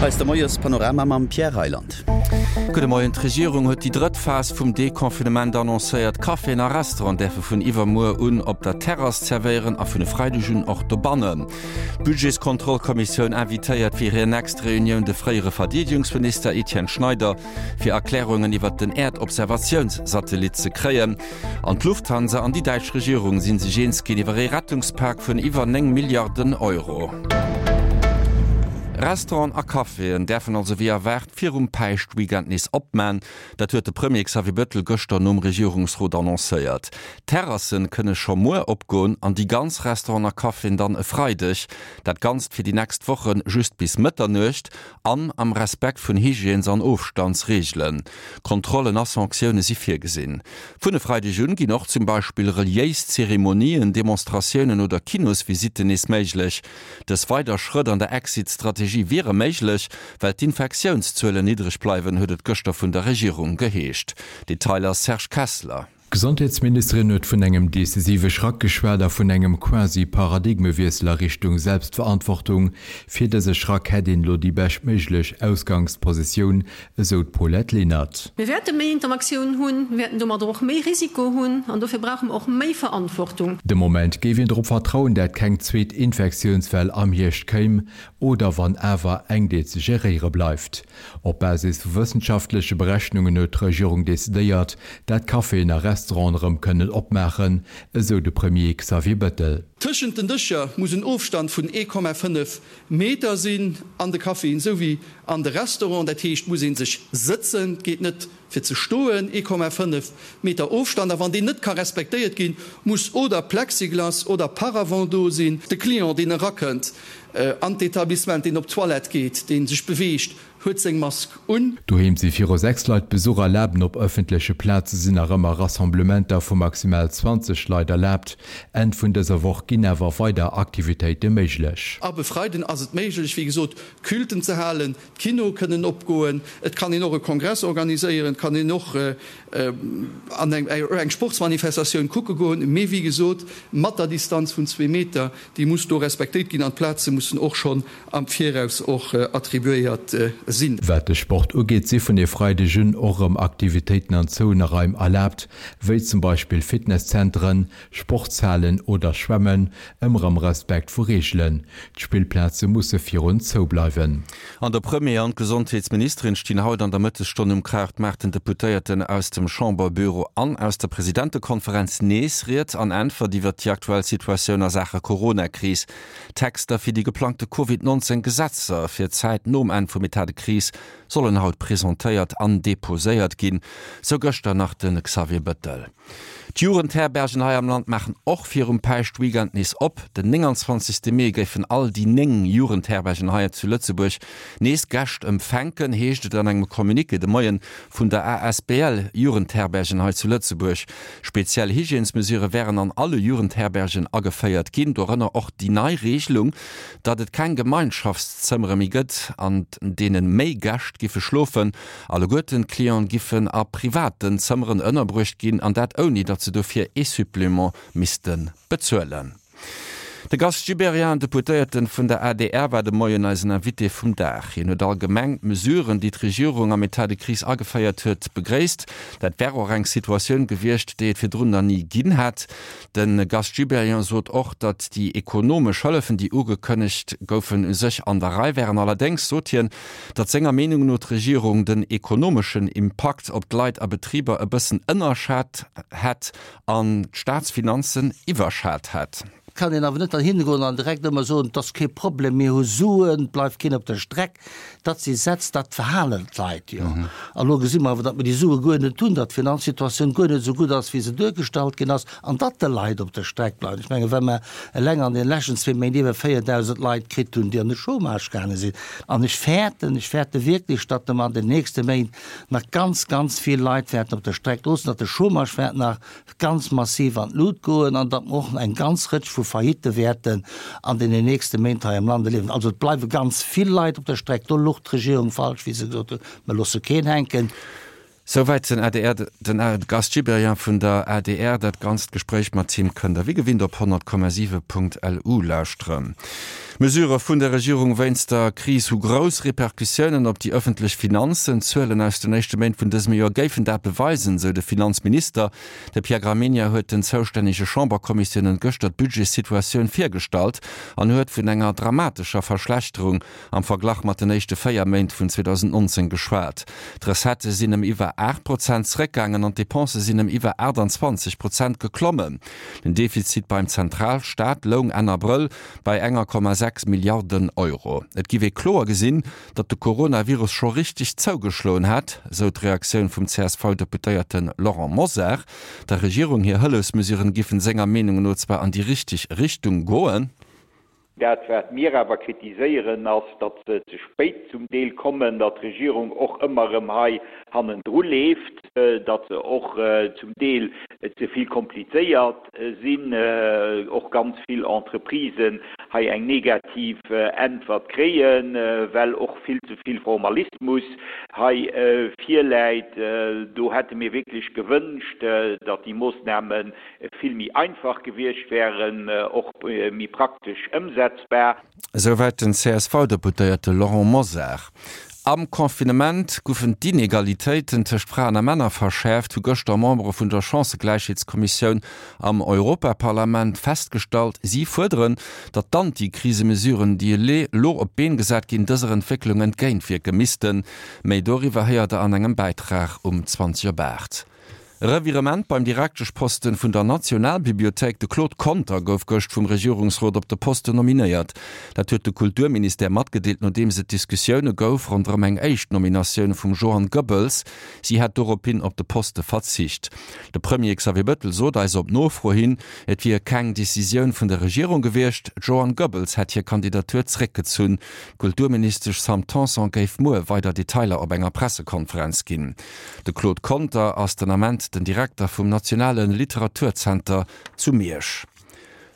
Hei ass de Moiespanorama mam Pierre Reyland. Gudde Moien, D'Regierung huet déi drëtt Phas vum Deconfinement annoncéiert. Caféen a Restauranten däerfe vun iwwermuer un op der Terrass zerwéieren a vun e Freideg un och dobannen. D'Budgetskontrollkommissioun invitéiert fir hir nächst Reunioun de fréiere Verdeedegungsminister Etienne Schneider, fir Erklärungen iwwert den Äerdobservatiounssatellit ze kréien. An d'Lufthansa an déi däitsch Regierung si sech eens ginn iwwer ee Rettungspak vun iwwer 9 Milliarden Euro. Restauranten a Caféen däerfen also wéi erwaart virum Päischtweekend nees opman. Dat huet de Premier Xavier Bettel gëschter nom Regierungsrot annoncéiert. D'Terrassen kënne scho muer opgoen an déi ganz Restauranten a Caféen dann e Freideg. Dat Ganzt fir déi nächst Woche just bis Mëtternuecht an am Respekt vun Hygiènes an Ofstandsreegelen. Kontrollen a Sanktioune si virgesinn. Vun e Freideg un ginn och zum Beispill reliéis Zeremonien, Demonstratiounen oder Kinosvisitten nees méiglech. Dës weider Schrëtt an der Exit-Strategie wiere méiglech, well d'Infektiounszuelen niddreg bleiwen, huet et gëschter vun der Regierung geheescht. Detailer Serge Kessler. D'Gesondheetsministerin huet vun engem decisive Schrack geschwat a vun engem quasi Paradigmewiessel a Richtung Selbstverantwortung. Fir dëse Schrack hätt een elo déi beschtméiglech Ausgangspositioun, esou d'Paulette Lenert. Mir wäerte méi Interaktioun hunn, mir wäerten domadder och méi Risiko hunn an dofir brauche mer och méi Verantwortung. De Moment géif een drop vertrauen, dat keng zweet Infektiounswell am Hierscht kéim, oder wann awer eng, déi ze geréiere bleift. Op Basis vu wëssenschaftleche Berechnungen huet d'Regierung decidéiert, dat Caféen a Restauranten erëm kënnen opmaachen, esou de Premier Xavier Bettel. Tëschent den Dëscher muss en Ofstand vun 1,5 Meter sinn, an de Caféen esou wéi an de Restauranten. Dat heescht, muss ee sech sëtzen, et geet net fir ze stoen, 1,5 Meter Ofstand. A wann deen net ka respektéiert ginn, muss oder Plexiglas oder Paravent do sinn. De Client, deen erakënnt an d'Etablissement, deen op d'Toilette geet, dee sech beweegt, huet seng Mask un. Doheem si viru 6 Leit Besuch erlaabt an op ëffentleche Plaze sinn nach ëmmer Rassemblementer vu maximal 20 Leit erlaabt. Enn vun dëser Woch ginn awer weider Aktivitéite méiglech. Ab e Freiden ass et méiglech, wéi gesot, Culten ze halen, D'Kinoe kënnen opgoen, et kann een och e Kongress organiséieren, et kann een och an eng Sportsmanifestatioun kucke goen, mee wéi gesot mat der Distanz vun zwee Meter, déi muss do respektéiert ginn an d'Plaze mussen och schonn am Viraus och attribuéiert sinn. Wat de Sport ugeet, si vun e Freideg un och erëm Aktivitéiten an zouene Raim erlaabt, wéi zum Beispill Fitnesszenteren, Sportshalen oder Schwämmen, ëmmer am Respekt vu Reegelen. D'Spillplaze musse virun zou bleiwen. An der Premier an d'Gesondheetsministerin stinn haut an der Mëttesstonn um Krautmaart den Deputéierten aus dem Chamberbüro an aus der Presidentekonferenz nees Ried an Äntwert iwwert déi aktuell Situatioun a Saache Coronakris. D'Texter fir déi geplangte Covid 19 Gesetzer fir d'Zäit nom Enn vum Etat de crise sollen haut presentéiert an deposéiert ginn, sou gëschter nach de Xavier Bettel. D'Jugendherbergen hei am Land maachen och virum Päischtweekend nees op. Den 29. Mee géifen all déi 9 Jugendherbergen hei zu Lëtzebuerg nees Gäscht empfänken, heescht et an engem Communiqué de Moien vun der asbl Jugendherbergen hei zu Lëtzebuerg. Speziell Hygiènesmesurë wären an alle Jugendherbergen ageféiert ginn, dorënner och déi nei Reegelung, datt et keng Gemeinschaftszëmmere méi gëtt, an deene méi Gäscht giffe schlofen. Alleguerten d'Clienten giffen a privaten Zëmmeren ënnerbruecht ginn, an dat ouni datt se dofir ee Supplément misste bezuelen. De Gast Gibéryen, Deputéierten vun der adr, war de Moien eisen Invité vum Dag. Hien huet allgemeng d'Mesuren, déi d'Regierung am Etat de crise ageféiert huet, begréisst. Dat wär och eng Situatioun gewiescht, déi et virdrun nach ni ginn hätt. De Gast Gibéryen sot och, datt déi ekonomesch Hëllefen, déi ugekënnegt goufen, u sech an der Rei wären. Allerdéngs sot hien, datt senger Meenung no d'Regierung den ekonomeschen Impakt op d'Leit a Betriber e bëssen ënnerschat hätt an d'Staatsfinanzen iwwerschat hätt. Et kann een awer net dann hingoen an direkt ëmmer soen, et ass kee Problem, mir hu Suen, et bleift keen op der Streck. Dat si Sätz, dat verhalen d'Leit jo. A lo gesi mer awer, datt mer déi Sue guer net hunn, datt d'Finanzsituatioun guer net esou gutt ass, wéi se duergestallt ginn ass, an datt de Leit op der Streck bleiwen. Ech mengen, wa mer eleng an den leschten zwee Méint iwwer 4.000 Leit kritt hunn, déi an de Chômage gaange sinn, an ech fäerten, ech fäerte wierklech, datt mer an den nächste Méint nach ganz, ganz vill Leit wäerten op der Streck loossen, datt de Chômage wäert nach ganz massiv an d'Lut goen an datt mer och eng ganz Rëtsch vu Faillitte wäerten an deenen nächste Méint hei am Land erliewen. Also et bleiwe ganz vill Leit op der Streck. Do louch d'Regierung falsch, wéi se gesot huet, mer loosse keen hänken. Souwäit den adr, den Gast Gibéryen vun der adr. Dat ganzt Gespréich mat him kënnt der wéi gewinnt op 100,7.lu lauschteren. D'Mesurë vun der Regierung wéinst der Kris hu grouss Repercussiounen op déi ëffentlech Finanzen. D'Zuelen aus den éischte Méint vun dësem Joer géifen dat beweisen, sou de Finanzminister. De Pierre Gramegna huet den zoustännege Chamberkommissiounen gëschter d'Budgetssituatioun virgestallt an huet vun enger dramatescher Verschlechterung am Verglach mat den éischte 4 Méint vun 2019 geschwat. D'Recettë sinn ëm iwwer 8 Prozent zeréckgaangen an d'Depensë sinn ëm iwwer 28 Prozent geklommen. Den Defizit beim Zentralstaat loung Enn Abrëll bei enger Komma 6 Milliarden Euro. Et giff ee kloer gesinn, datt de Coronavirus scho richteg zougeschloen hätt, sou d'Reaktioun vum CSV-Deputéierte Laurent Mosar. Der Regierung hir Hëllefsmesuren giffen senger Meenung no zwar an déi richteg Richtung goen. Dat, wat mir awer kritiséieren, ass, datt se ze spéit zum Deel kommen, datt d'Regierung och ëmmer erëm hei hannendru leeft, datt se och zum Deel ze vill komplizéiert sinn, och ganz vill Entreprisen hei eng negativ Äntwert kréien, well och vill ze vill Formalismus hei virläit. Do hätte mir wierklech gewënscht, datt déi Moossname vill méi einfach gewiescht wären, och méi praktesch ëmsetzbar. Esouwäit den CSV-Deputéierte Laurent Mosar. Am Confinement goufen d'Inegalitéiten tëscht Fraen a Männer verschäerft, hu gëschter Membere vun der Chancëgläichheetskommissioun am Europaparlament festgestallt. Si fuerderen, datt d'Anti-Krisemesuren, déi elo op d'Been gesat ginn, dëser Entwécklung entgéintwierke missten. Méi doriwwer héiert der an engem Bäitrag um 20 op 8. Revirement beim Direkteschposten vun der Nationalbibliothéik, De Claude Conter gouf gëscht vum Regierungsrot op de Posten nominéiert. Dat huet de Kulturministère matgedeelt, nodeems et Diskussioune gouf ronderëm eng éischt Nominatioun vum Johann Goebbels. Si hätt dorophin op de Poste verzicht. De Premier Xavier Bettel sot eis op Nofro hin, et wier keng Decisioun vun der Regierung gewiescht. D'Joanne Goebbels hätt hir Kandidatur zréckgezunn. D'Kulturministesch Sam Tanson géif muer weider Detailer op enger Pressekonferenz ginn. De Claude Conter ass den Ament den Direkter vum Nationale Literaturzenter zu Miersch.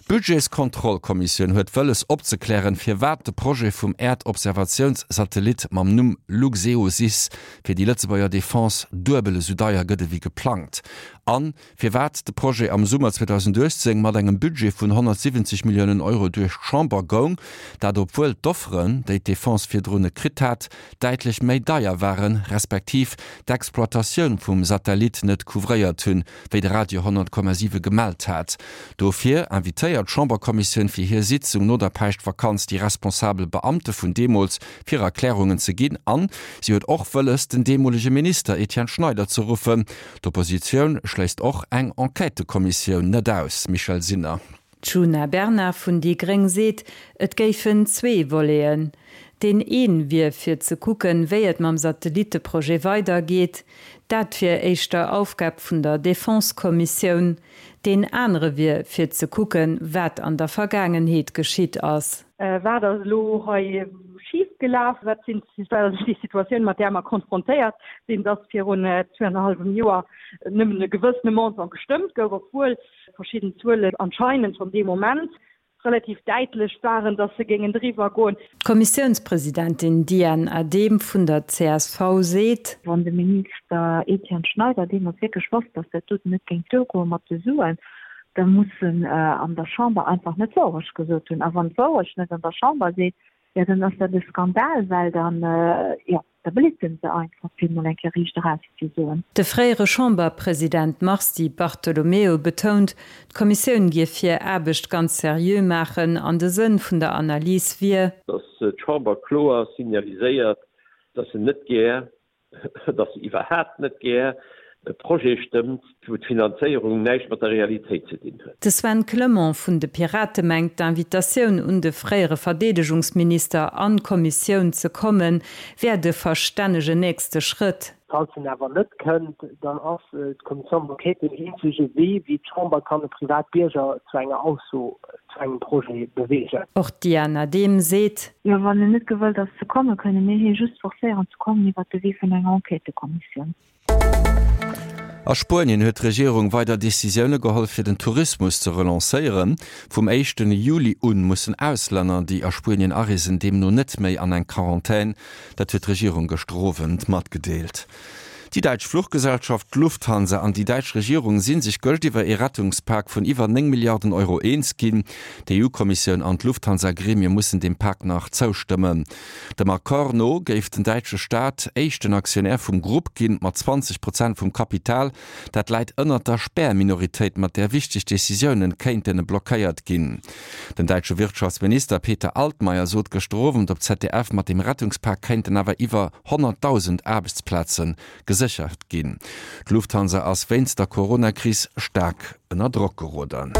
D'Budgetskontrollkommissioun huet wëlles opzeklären, firwat de Projet vum Äerdobservatiounssatellit mam Numm Luxeosys fir déi Lëtzebuerger Defense duebel esou deier gëtt ewéi geplangt an Firwat de Projet am Summer 2018 mat engem Budget vun 170 Milliounen Euro duerch d'Chamber goung, dat obwuel d'Offeren, déi d'Defense virdrun kritt hat, däitlech méi deier waren, respektiv d'Exploitatioun vum Satellit net couvréiert hunn, wéi de Radio 100,7 gemellt hat. Dofir invitéiert d'Chamberkommissioun fir hir Sitzung no der Päischtvakanz déi responsabel Beamte vun deemools fir Erklärungen ze ginn an si huet och wëlles, den deemolege Minister Etienne Schneider ze ruffen. D'Oppositioun schléisst och eng Enquêtëkommissioun net aus. Michèle Sinner. D'Djuna Bernard vun déi gréng seet, et géifen zwee Voleten. Deen een wier fir ze kucken, wéi et mam Satellitteprojet weidergeet. Dat wier éischter Aufgab vun der Defense-Kommissioun. Deen anere wier fir ze kucken, wat an der Vergaangenheet geschitt ass. Wat ass elo hei schif gelaf? Wat sinn, wat ass déi Situatioun, mat där mer konfrontéiert sinn, dass virun zweiannerhallwem Joer nëmmen e gewëssene Montant gestëmmt gouf, obwuel verschidden Zuelen anscheinend schonn dee Moment relativ däitlech waren, dass se géingen driwwer goen. D'Kommissiounspresidentin Diane Adehm vun der csv seet. Wann de Minister Etienne Schneider deemools wierklech wosst, dass dat doten net géing duergoe mat de Suen, da muss en an der Chamber einfach net d'Wourecht gesot hunn. A wann d'Wourecht net an der Chamber seet, jo dann ass dat e Skandal, well dann, jo, da blitzen se einfach, fir emol eng Kéier riicht eraus ze soen. De fréiere Chamberpresident Mars Di Bartolomeo betount, d'Kommissioun géif hir Aarbecht ganz seriö maachen an de Sënn vun der Analys wier, Datt d'Chamber kloer signaliséiert, datt se net gär datt se iwwerhaapt net gär e Projet stëmmt, wou d'Finanzéierung näischt mat der Realitéit ze dinn huet. De Sven Clement vun de Pirate mengt, d'Invitatioun un de fréiere Verdeedegungsminister an d'Kommissioun ze kommen, wär de verstännegen nächste Schrëtt. Falls en awer net kënnt, dann ass d'Commission d'enquête deen eenzege Wee, wéi d'Chamber kann e Privatbierger zu enger Ausso zu engem Projet beweegen. Och d'Diane Adehm seet. Jo, wann en net gewëllt ass ze kommen, kënne mir hie just forcéieren ze kommen iwwert de Wee vun enger Enquêtëkommissioun. A Spuenien huet d'Regierung weider Decisioune geholl, fir den Tourismus ze relancéieren. Vum éischten Juli un mussen Auslänner, déi a Spuenien areesen, deemno net méi an eng Quarantän. Dat huet d'Regierung gëschter Owend matgedeelt. Déi däitsch Fluchgesellschaft Lufthansa an déi däitsch Regierung si sech gëscht iwwer ee Rettungspak vun iwwer 9 Milliarden Euro eens ginn. D'EU-Kommissioun an d'Lufthansa-Gremie mussen deem Pak nach zoustëmmen. Dem Accord no géif den däitsche Staat éischten Aktionär vum Grupp ginn, mat 20 Prozent vum Kapital. Dat läit ënnert der Spärminoritéit, mat där wichteg Decisiounen kéinten blockéiert ginn. Den däitsche Wirtschaftsminister Peter Altmaier sot gëschter Owend op ZDF, mat dem Rettungspak kéinten awer iwwer 100.000 Aarbechtsplaze geséchert ginn. D'Lufthansa ass wéinst der Coronakris staark ënner Drock geroden.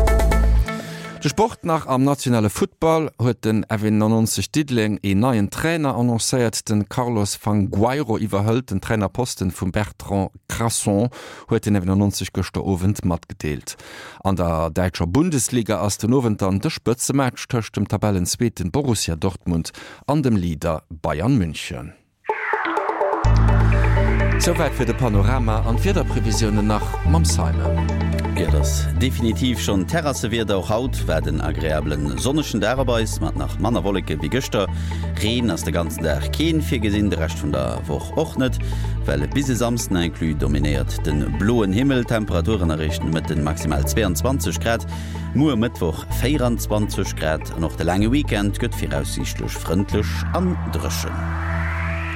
De Sport nach, Am nationale Futtball huet den F91 Diddeleng een neien Trainer annoncéiert. Den Carlos Fangueiro iwwerhëlt den Trainerposten vum Bertrand Crasson, huet den F91 gëschter Owend matgedeelt. An der däitscher Bundesliga ass den Owend dann de Spëtzematch tëscht dem Tabellenzweeten Borussia Dortmund an dem Leader Bayern München. Souwäit fir de Panorama an d'Wiederprevisiounen nach mam Simon. Jo, et ass definitiv schonn Terrassewieder. Och haut waart en agreablen sonnegen Dag op eis, mat nach manner Wolleke wéi gëschter. Reen ass de ganzen Dag keen virgesinn, de Rescht vun der Woch och net, well bis e Samsden inclus dominéiert de bloen Himmel. D'Temperaturen erreechen de Mëtten maximal 22 Grad, muer Mëttwoch 24 Grad an och de laange Weekend gëtt viraussiichtlech frëndlech an dréchen.